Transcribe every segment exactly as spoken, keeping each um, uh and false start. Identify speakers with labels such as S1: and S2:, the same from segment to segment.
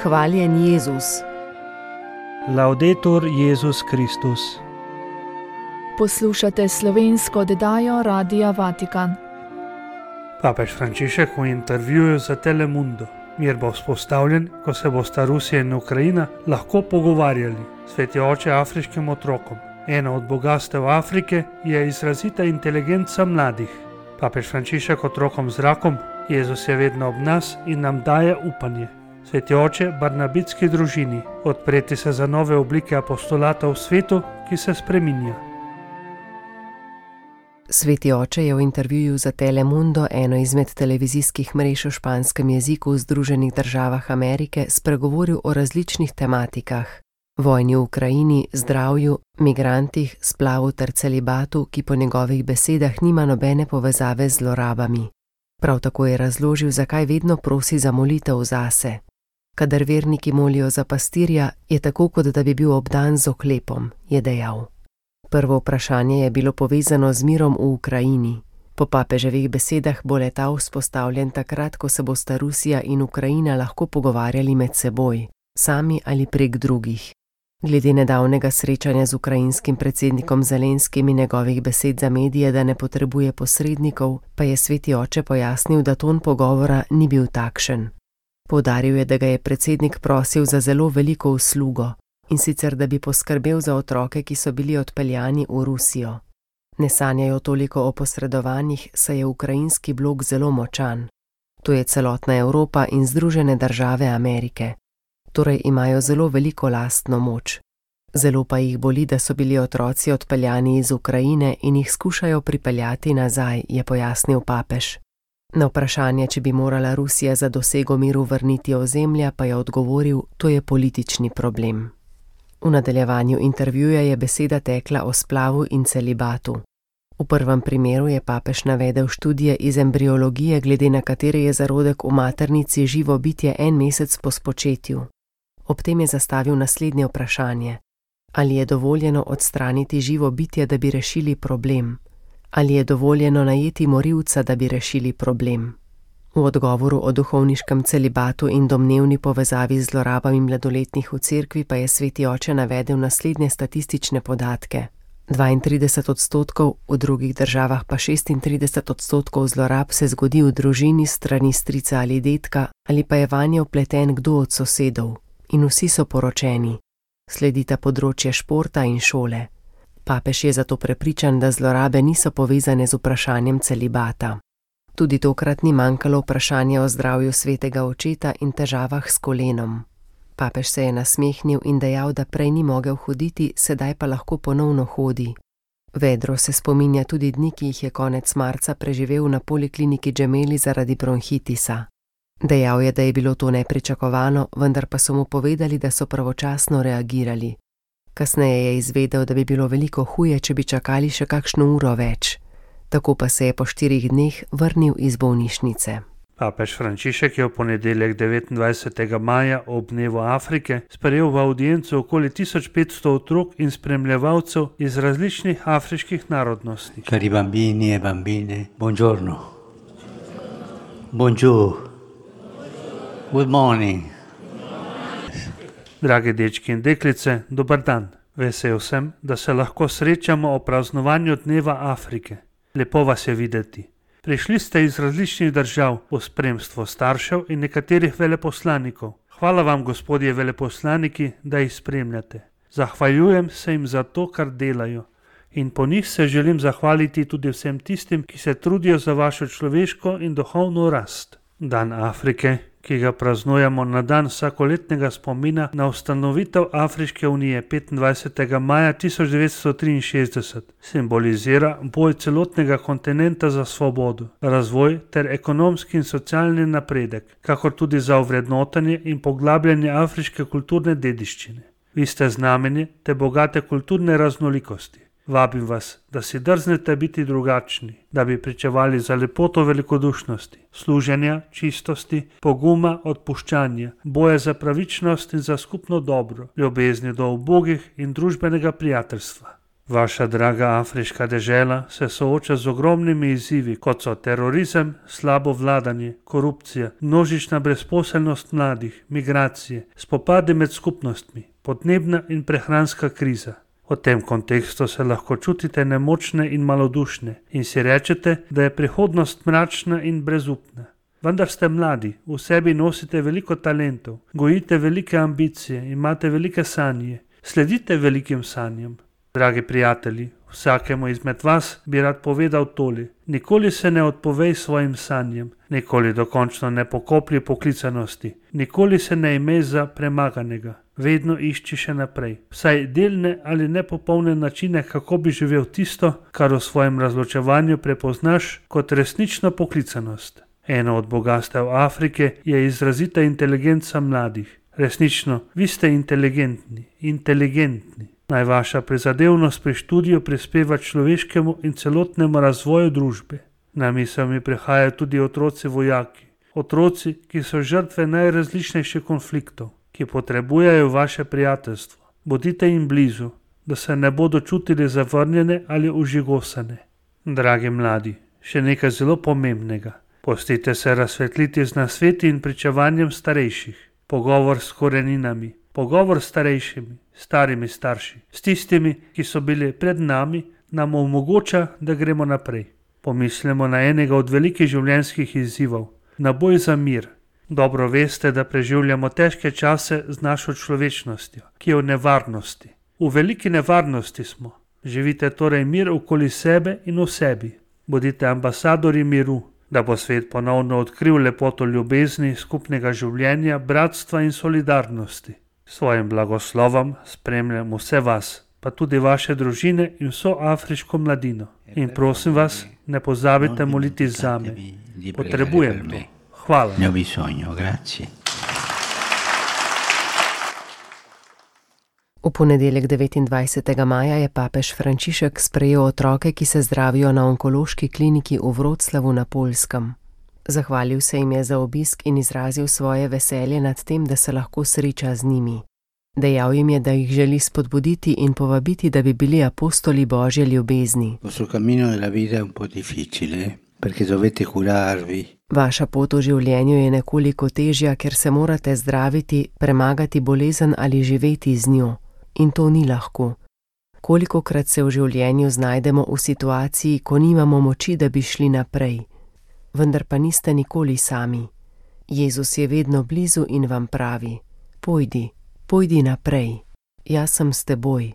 S1: Hvaljen Jezus.
S2: Laudetur Jezus Kristus.
S3: Poslušate slovensko oddajo Radia Vatikan.
S2: Papež Frančišek v intervjuju za Telemundo. Mir bo vzpostavljen, ko se bosta Rusija in Ukrajina lahko pogovarjali. Sveti oče afriškim otrokom. Eno od bogastev Afrike je izrazita inteligenca mladih. Papež Frančišek otrokom z rakom, Jezus je vedno ob nas in nam daje upanje. Sveti oče barnabitski družini, odpreti se za nove oblike apostolata v svetu, ki se spreminja.
S1: Sveti oče je v intervjuju za Telemundo, eno izmed televizijskih mrež v španskem jeziku v Združenih državah Amerike, spregovoril o različnih tematikah. Vojni v Ukrajini, zdravju, migrantih, splavu ter celibatu, ki po njegovih besedah nima nobene povezave z zlorabami. Prav tako je razložil, zakaj vedno prosi za molitev zase. Kadar verniki molijo za pastirja, je tako, kot da bi bil obdan z oklepom, je dejal. Prvo vprašanje je bilo povezano z mirom v Ukrajini. Po papeževih besedah bo le-ta vzpostavljen takrat, ko se bosta Rusija in Ukrajina lahko pogovarjali med seboj, sami ali prek drugih. Glede nedavnega srečanja z ukrajinskim predsednikom Zelenskim in njegovih besed za medije, da ne potrebuje posrednikov, pa je sveti oče pojasnil, da ton pogovora ni bil takšen. Poudaril je, da ga je predsednik prosil za zelo veliko uslugo, in sicer da bi poskrbel za otroke, ki so bili odpeljani v Rusijo. Ne sanjajo toliko o posredovanjih, saj je ukrajinski blok zelo močan. To je celotna Evropa in Združene države Amerike. Torej imajo zelo veliko lastno moč. Zelo pa jih boli, da so bili otroci odpeljani iz Ukrajine in jih skušajo pripeljati nazaj, je pojasnil papež. Na vprašanje, če bi morala Rusija za dosego miru vrniti ozemlja, pa je odgovoril, to je politični problem. V nadaljevanju intervjuja je beseda tekla o splavu in celibatu. V prvem primeru je papež navedel študije iz embriologije, glede na katere je zarodek v maternici živo bitje en mesec po spočetju. Ob tem je zastavil naslednje vprašanje. Ali je dovoljeno odstraniti živo bitje, da bi rešili problem? Ali je dovoljeno najeti morilca, da bi rešili problem? V odgovoru o duhovniškem celibatu in domnevni povezavi z zlorabami mladoletnih v cerkvi pa je sveti oče navedel naslednje statistične podatke. dvaintrideset odstotkov, v drugih državah pa šestintrideset odstotkov zlorab se zgodi v družini s strani strica ali dedka, ali pa je vanje vpleten kdo od sosedov. In vsi so poročeni. Sledita področje športa in šole. Papež je zato prepričan, da zlorabe niso povezane z vprašanjem celibata. Tudi tokrat ni manjkalo vprašanje o zdravju svetega očeta in težavah s kolenom. Papež se je nasmehnil in dejal, da prej ni mogel hoditi, sedaj pa lahko ponovno hodi. Vedro se spominja tudi dni, ki jih je konec marca preživel na polikliniki Gemelli zaradi bronhitisa. Dejal je, da je bilo to nepričakovano, vendar pa so mu povedali, da so pravočasno reagirali. Kasneje je izvedel, da bi bilo veliko huje, če bi čakali še kakšno uro več. Tako pa se je po štirih dneh vrnil iz bolnišnice.
S2: Papež Frančišek je v ponedeljek devetindvajsetega maja ob dnevu Afrike sprejel v avdienco okoli tisoč petsto otrok in spremljevalcev iz različnih afriških narodnosti.
S4: Cari bambini e bambine, buongiorno. Bonjour. Good morning.
S2: Dragi dečki in deklice, dober dan. Vesel sem, da se lahko srečamo o praznovanju dneva Afrike. Lepo vas je videti. Prišli ste iz različnih držav v spremstvu staršev in nekaterih veleposlanikov. Hvala vam, gospodje veleposlaniki, da jih spremljate. Zahvaljujem se jim za to, kar delajo. In po njih se želim zahvaliti tudi vsem tistim, ki se trudijo za vašo človeško in duhovno rast. Dan Afrike, ki ga praznujemo na dan vsakoletnega spomina na ustanovitev Afriške unije petindvajsetega maja tisoč devetsto triinšestdeset, simbolizira boj celotnega kontinenta za svobodo, razvoj ter ekonomski in socialni napredek, kakor tudi za ovrednotenje in poglabljanje afriške kulturne dediščine. Vi ste znamenje te bogate kulturne raznolikosti. Vabim vas, da si drznete biti drugačni, da bi pričevali za lepoto velikodušnosti, služenja, čistosti, poguma, odpuščanja, boja za pravičnost in za skupno dobro, ljubezni do ubogih in družbenega prijateljstva. Vaša draga afriška dežela se sooča z ogromnimi izzivi, kot so terorizem, slabo vladanje, korupcija, množična brezposelnost mladih, migracije, spopadi med skupnostmi, podnebna in prehranska kriza. V tem kontekstu se lahko čutite nemočne in malodušne in si rečete, da je prihodnost mračna in brezupna. Vendar ste mladi, v sebi nosite veliko talentov, gojite velike ambicije, imate velike sanje, sledite velikim sanjam. Dragi prijatelji, vsakemu izmed vas bi rad povedal tole: nikoli se ne odpovej svojim sanjem, nikoli dokončno ne pokoplji poklicanosti, nikoli se ne imej za premaganega, vedno išči še naprej, vsaj delne ali nepopolne načine, kako bi živel tisto, kar v svojem razločevanju prepoznaš kot resnično poklicanost. Eno od bogastev Afrike je izrazita inteligenca mladih. Resnično, vi ste inteligentni, inteligentni. Naj vaša prizadevnost pri študiju prispeva človeškemu in celotnemu razvoju družbe. Na misel mi prihajajo tudi otroci vojaki, otroci, ki so žrtve najrazličnejših konfliktov, ki potrebujejo vaše prijateljstvo. Bodite jim blizu, da se ne bodo čutili zavrnjene ali užigosane. Dragi mladi, še nekaj zelo pomembnega. Pustite se razsvetliti z nasveti in pričevanjem starejših. Pogovor s koreninami, pogovor s starejšimi, starimi starši, s tistimi, ki so bili pred nami, nam omogoča, da gremo naprej. Pomislimo na enega od velikih življenjskih izzivov, na boj za mir. Dobro veste, da preživljamo težke čase z našo človečnostjo, ki je v nevarnosti. V veliki nevarnosti smo. Živite torej mir okoli sebe in v sebi. Bodite ambasadorji miru, da bo svet ponovno odkril lepoto ljubezni, skupnega življenja, bratstva in solidarnosti. Svojim blagoslovom spremljam vse vas, pa tudi vaše družine in vso afriško mladino. In prosim vas, ne pozabite moliti zame. Potrebujem to. Hvala.
S4: Ne ho bisogno, grazie.
S1: V ponedeljek devetindvajsetega maja je papež Frančišek sprejel otroke, ki se zdravijo na onkološki kliniki v Vroclavu na Poljskem. Zahvalil se jim je za obisk in izrazil svoje veselje nad tem, da se lahko sreča z njimi. Dejal jim je, da jih želi spodbuditi in povabiti, da bi bili apostoli Božje ljubezni. Vaša pot v življenju je nekoliko težja, ker se morate zdraviti, premagati bolezen ali živeti z njo. In to ni lahko. Kolikokrat se v življenju znajdemo v situaciji, ko nimamo moči, da bi šli naprej. Vendar pa niste nikoli sami. Jezus je vedno blizu in vam pravi: pojdi, pojdi naprej. Jaz sem s teboj.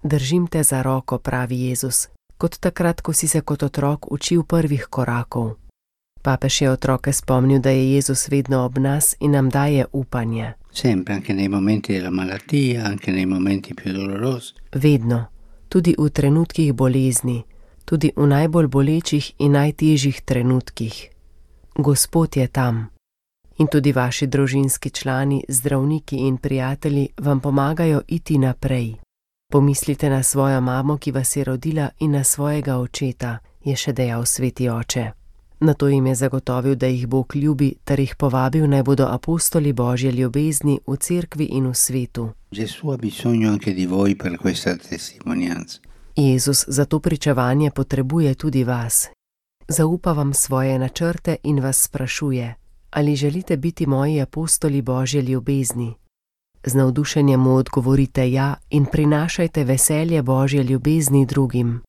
S1: Držim te za roko, pravi Jezus, kot takrat, ko si se kot otrok učil prvih korakov. Papež je otroke spomnil, da je Jezus vedno ob nas in nam daje upanje.
S4: Sempre, anche nei momenti della malattia, anche nei momenti più dolorosi.
S1: Vedno, tudi v trenutkih bolezni, tudi v najbolj bolečih in najtežjih trenutkih. Gospod je tam. In tudi vaši družinski člani, zdravniki in prijatelji vam pomagajo iti naprej. Pomislite na svojo mamo, ki vas je rodila, in na svojega očeta, je še dejal sveti oče. Nato jim je zagotovil, da jih Bog ljubi, ter jih povabil, naj bodo apostoli Božje ljubezni v cerkvi in v svetu. Jezus za to pričevanje potrebuje tudi vas. Zaupa vam svoje načrte in vas sprašuje: ali želite biti moji apostoli Božje ljubezni? Z navdušenjem mu odgovorite ja in prinašajte veselje Božje ljubezni drugim.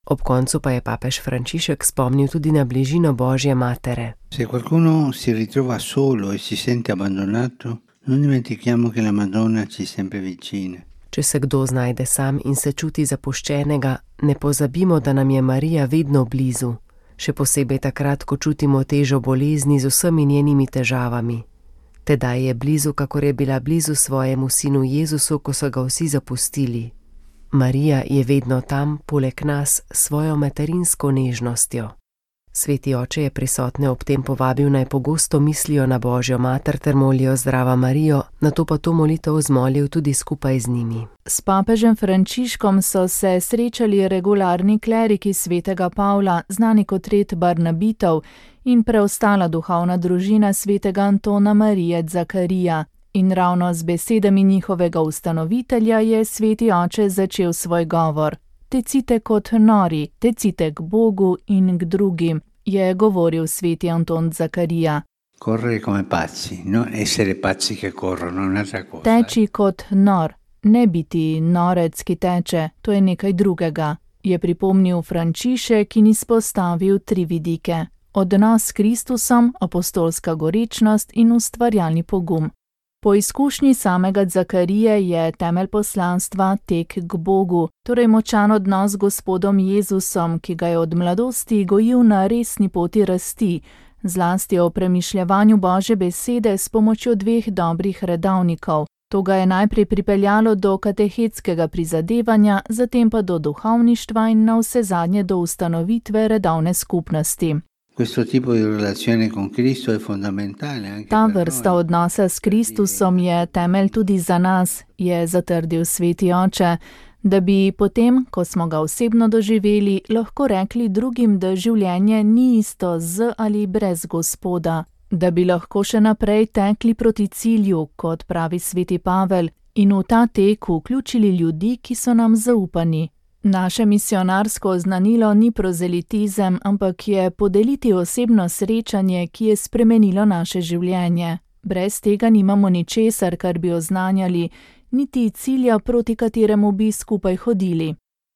S1: Ob koncu pa je papež Frančišek spomnil tudi na bližino Božje matere.
S4: Se qualcuno si ritrova solo e si sente abbandonato, non dimentichiamo che la Madonna ci è sempre vicina.
S1: Če se kdo znajde sam in se čuti zapuščenega, ne pozabimo, da nam je Marija vedno blizu, še posebej takrat, ko čutimo težo bolezni z vsemi njenimi težavami. Tedaj je blizu, kakor je bila blizu svojemu sinu Jezusu, ko so ga vsi zapustili. Marija je vedno tam, poleg nas, s svojo materinsko nežnostjo. Sveti oče je prisotne ob tem povabil, naj pogosto mislijo na Božjo mater ter molijo Zdrava Marijo, nato pa to molitev zmolil tudi skupaj z njimi.
S3: S papežem Frančiškom so se srečali regularni kleriki svetega Pavla, znani kot red Barnabitov, in preostala duhovna družina svetega Antona Marije Zakarija. In ravno z besedami njihovega ustanovitelja je sveti oče začel svoj govor. tecite kot nori, tecite k Bogu in k drugim, je govoril sveti Anton Zakarija.
S4: Correre come pazzi, non essere pazzi che corrono, un'altra cosa.
S3: Teči kot nor, ne biti norec, ki teče, to je nekaj drugega, je pripomnil Frančišek in izpostavil tri vidike: odnos s Kristusom, apostolska gorečnost in ustvarjalni pogum. Po izkušnji samega Zakarije je temelj poslanstva tek k Bogu, torej močan odnos z Gospodom Jezusom, ki ga je od mladosti gojil na resni poti rasti, zlasti o premišljevanju Božje besede s pomočjo dveh dobrih redovnikov. To ga je najprej pripeljalo do katehetskega prizadevanja, zatem pa do duhovništva in navsezadnje do ustanovitve redovne skupnosti. Ta vrsta odnosa s Kristusom je temelj tudi za nas, je zatrdil sveti oče, da bi potem, ko smo ga osebno doživeli, lahko rekli drugim, da življenje ni isto z ali brez Gospoda, da bi lahko še naprej tekli proti cilju, kot pravi sveti Pavel, in v ta tek vključili ljudi, ki so nam zaupani. Naše misionarsko oznanilo ni prozelitizem, ampak je podeliti osebno srečanje, ki je spremenilo naše življenje. Brez tega nimamo ničesar, kar bi oznanjali, niti cilja, proti kateremu bi skupaj hodili.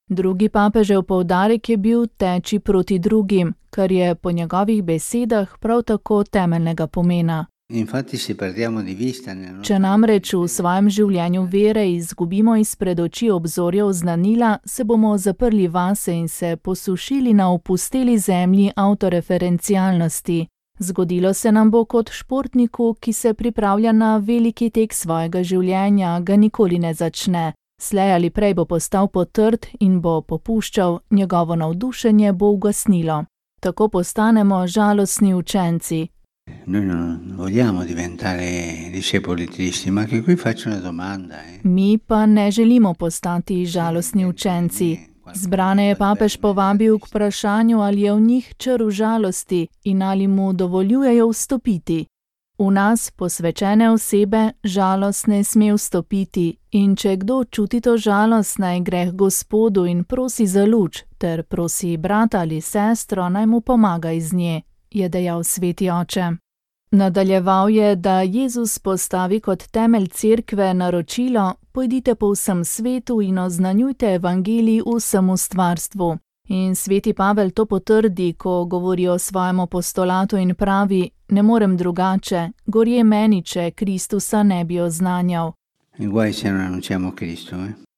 S3: Drugi papežev poudarek je bil teči proti drugim, kar je po njegovih besedah prav tako temeljnega pomena. Če namreč v svojem življenju vere izgubimo izpred oči obzorja oznanila, se bomo zaprli vase in se posušili na opusteli zemlji avtoreferencialnosti. Zgodilo se nam bo kot športniku, ki se pripravlja na veliki tek svojega življenja, ga nikoli ne začne. Slej ali prej bo postal potrd in bo popuščal, njegovo navdušenje bo ugasnilo. Tako postanemo žalostni učenci.
S4: Noi non vogliamo diventare discepoli tristi, ma che qui faccio una domanda. Eh.
S3: Mi pa ne želimo postati žalostni učenci. Zbrane je papež povabil k vprašanju, ali je v njih črv žalosti in ali mu dovoljujejo vstopiti. V nas, posvečene osebe, žalost ne sme vstopiti in če kdo čuti to žalost, naj gre k Gospodu in prosi za luč, ter prosi brata ali sestro, naj mu pomaga iz nje, je dejal sveti oče. Nadaljeval je, da Jezus postavi kot temelj cerkve naročilo: pojdite po vsem svetu in oznanjujte evangelij vsemu stvarstvu. In sveti Pavel to potrdi, ko govori o svojem apostolatu in pravi: ne morem drugače, gorje meni, če Kristusa ne bi oznanjal.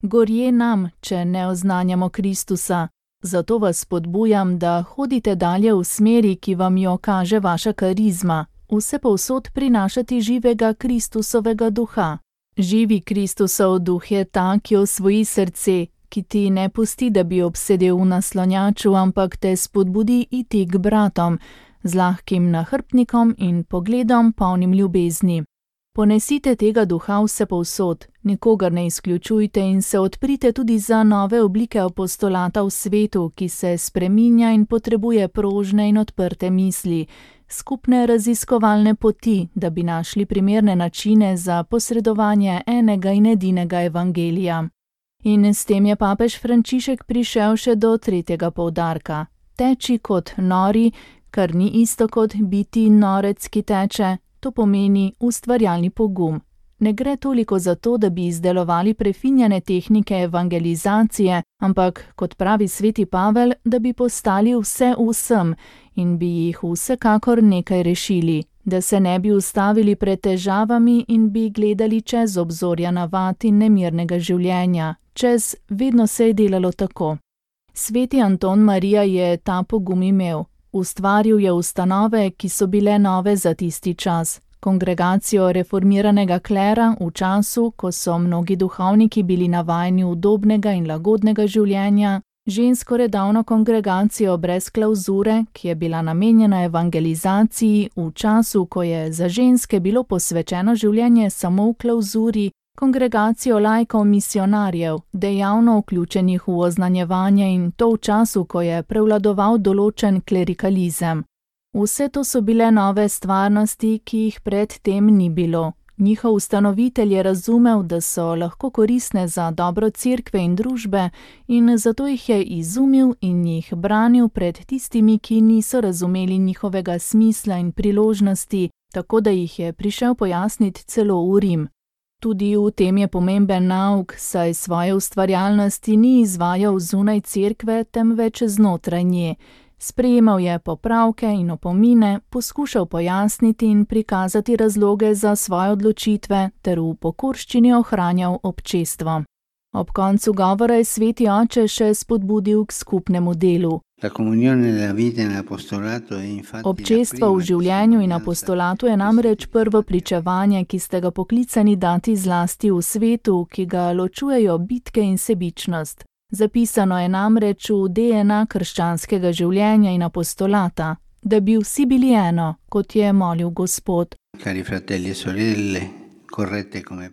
S3: Gorje nam, če ne oznanjamo Kristusa. Zato vas spodbujam, da hodite dalje v smeri, ki vam jo kaže vaša karizma, vse povsod prinašati živega Kristusovega duha. Živi Kristusov duh je ta, ki osvoji srce, ki ti ne pusti, da bi obsedel v naslonjaču, ampak te spodbudi iti k bratom, z lahkim nahrbtnikom in pogledom polnim ljubezni. Ponesite tega duha vse povsod, nikogar ne izključujte in se odprite tudi za nove oblike apostolata v svetu, ki se spreminja in potrebuje prožne in odprte misli, skupne raziskovalne poti, da bi našli primerne načine za posredovanje enega in edinega evangelija. In s tem je papež Frančišek prišel še do tretjega poudarka. Teči kot nori, kar ni isto kot biti norec, ki teče, to pomeni ustvarjalni pogum. Ne gre toliko za to, da bi izdelovali prefinjene tehnike evangelizacije, ampak, kot pravi sveti Pavel, da bi postali vse vsem in bi jih vsekakor nekaj rešili, da se ne bi ustavili pred težavami in bi gledali čez obzorja navad in nemirnega življenja, čez vedno se je delalo tako. Sveti Anton Marija je ta pogum imel. Ustvaril je ustanove, ki so bile nove za tisti čas. Kongregacijo reformiranega klera v času, ko so mnogi duhovniki bili navajeni udobnega in lagodnega življenja, žensko redovno kongregacijo brez klavzure, ki je bila namenjena evangelizaciji v času, ko je za ženske bilo posvečeno življenje samo v klavzuri, kongregacijo laikov misionarjev, dejavno vključenih v oznanjevanje in to v času, ko je prevladoval določen klerikalizem. Vse to so bile nove stvarnosti, ki jih pred tem ni bilo. Njihov ustanovitelj je razumel, da so lahko koristne za dobro cerkve in družbe, in zato jih je izumil in jih branil pred tistimi, ki niso razumeli njihovega smisla in priložnosti, tako da jih je prišel pojasniti celo v Rim. Tudi v tem je pomemben nauk, saj svoje ustvarjalnosti ni izvajal zunaj cerkve, temveč znotraj nje. Sprejemal je popravke in opomine, poskušal pojasniti in prikazati razloge za svoje odločitve ter v pokorščini ohranjal občestvo. Ob koncu govora je sveti oče še spodbudil k skupnemu delu. Občestvo v življenju in apostolatu je namreč prvo pričevanje, ki ste ga poklicani dati zlasti v svetu, ki ga ločujejo bitke in sebičnost. Zapisano je namreč v D N A krščanskega življenja in apostolata, da bi vsi bili eno, kot je molil Gospod.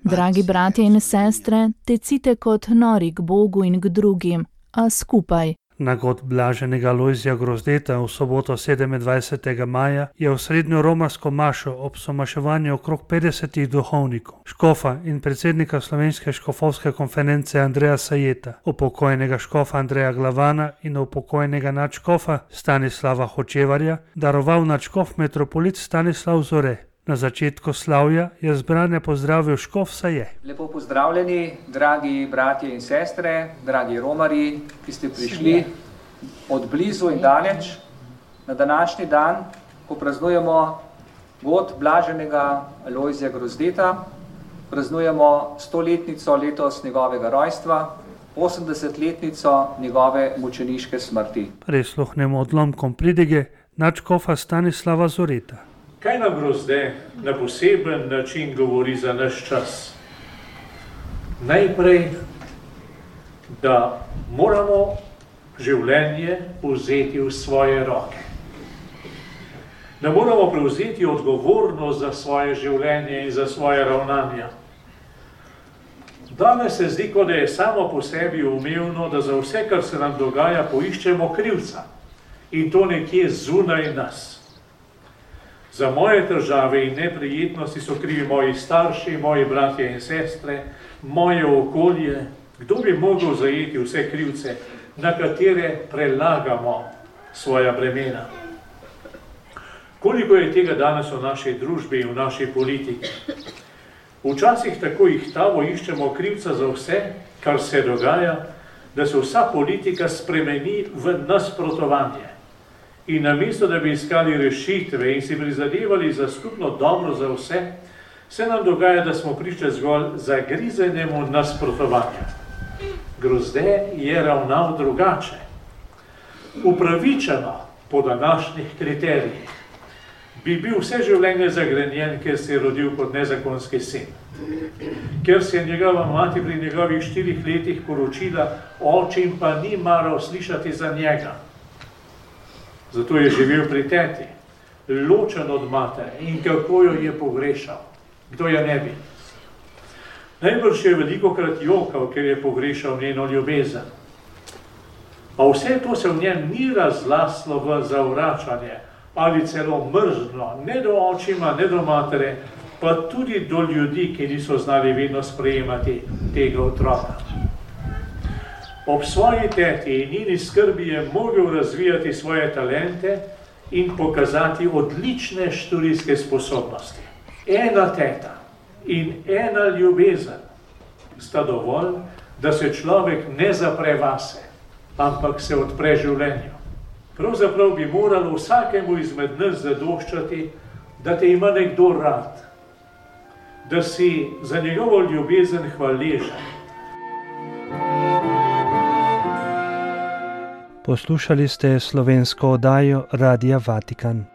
S3: Dragi bratje in sestre, tecite kot nori k Bogu in k drugim, a skupaj.
S2: Na god blaženega Lojzija Grozdeta v soboto sedemindvajsetega maja je v srednjo romarsko mašo ob somaševanju okrog petdesetih duhovnikov, škofa in predsednika Slovenske škofovske konference Andreja Sajeta, upokojenega škofa Andreja Glavana in upokojenega nadškofa Stanislava Hočevarja, daroval nadškof metropolit Stanislav Zore. Na začetku slavja je zbrane pozdravil škof Saje.
S5: Lepo pozdravljeni, dragi bratje in sestre, dragi romarji, ki ste prišli od blizu in daleč na današnji dan, ko praznujemo god blaženega Lojzija Grozdeta, praznujemo stoletnico letos njegovega rojstva, osemdesetletnico njegove mučeniške smrti.
S2: Prisluhnemo odlomkom pridige nadškofa Stanislava Zoreta.
S6: Kaj nam Grozde na poseben način govori za naš čas? Najprej, da moramo življenje vzeti v svoje roke. Da moramo prevzeti odgovornost za svoje življenje in za svoje ravnanja. Danes se zdi, kot da je samo po sebi umevno, da za vse, kar se nam dogaja, poiščemo krivca. In to nekje zunaj nas. Za moje težave in neprijetnosti so krivi moji starši, moji bratje in sestre, moje okolje. Kdo bi mogel zajeti vse krivce, na katere prelagamo svoja bremena? Koliko je tega danes v naši družbi in v naši politiki? Včasih tako ihtavo iščemo krivca za vse, kar se dogaja, da se vsa politika spremeni v nasprotovanje. In namesto, da bi iskali rešitve in si prizadevali za skupno dobro za vse, se nam dogaja, da smo priča zgolj zagrizenemu nasprotovanju. Grozde je ravnal drugače. Upravičeno po današnjih kriterijih bi bil vse življenje zagrenjen, ker se je rodil kot nezakonski sin. Ker se je njegova mati pri njegovih štirih letih poročila, očim pa ni maral slišati za njega. Zato je živel pri teti, ločen od matere, in kako jo je pogrešal. Kdo je ne bi? Najbrž je velikokrat jokal, ker je pogrešal njeno ljubezen. A vse to se v njem ni razlaslo v zavračanje ali celo mrzlo, ne do očima, ne do matere, pa tudi do ljudi, ki niso znali vedno sprejemati tega otroka. Ob svoji teti in njeni skrbi je mogel razvijati svoje talente in pokazati odlične študijske sposobnosti. Ena teta in ena ljubezen sta dovolj, da se človek ne zapre vase, ampak se odpre življenju. Pravzaprav bi moralo vsakemu izmed nas zadoščati, da te ima nekdo rad, da si za njegovo ljubezen hvaležen.
S2: Poslušali ste slovensko oddajo Radia Vatikan.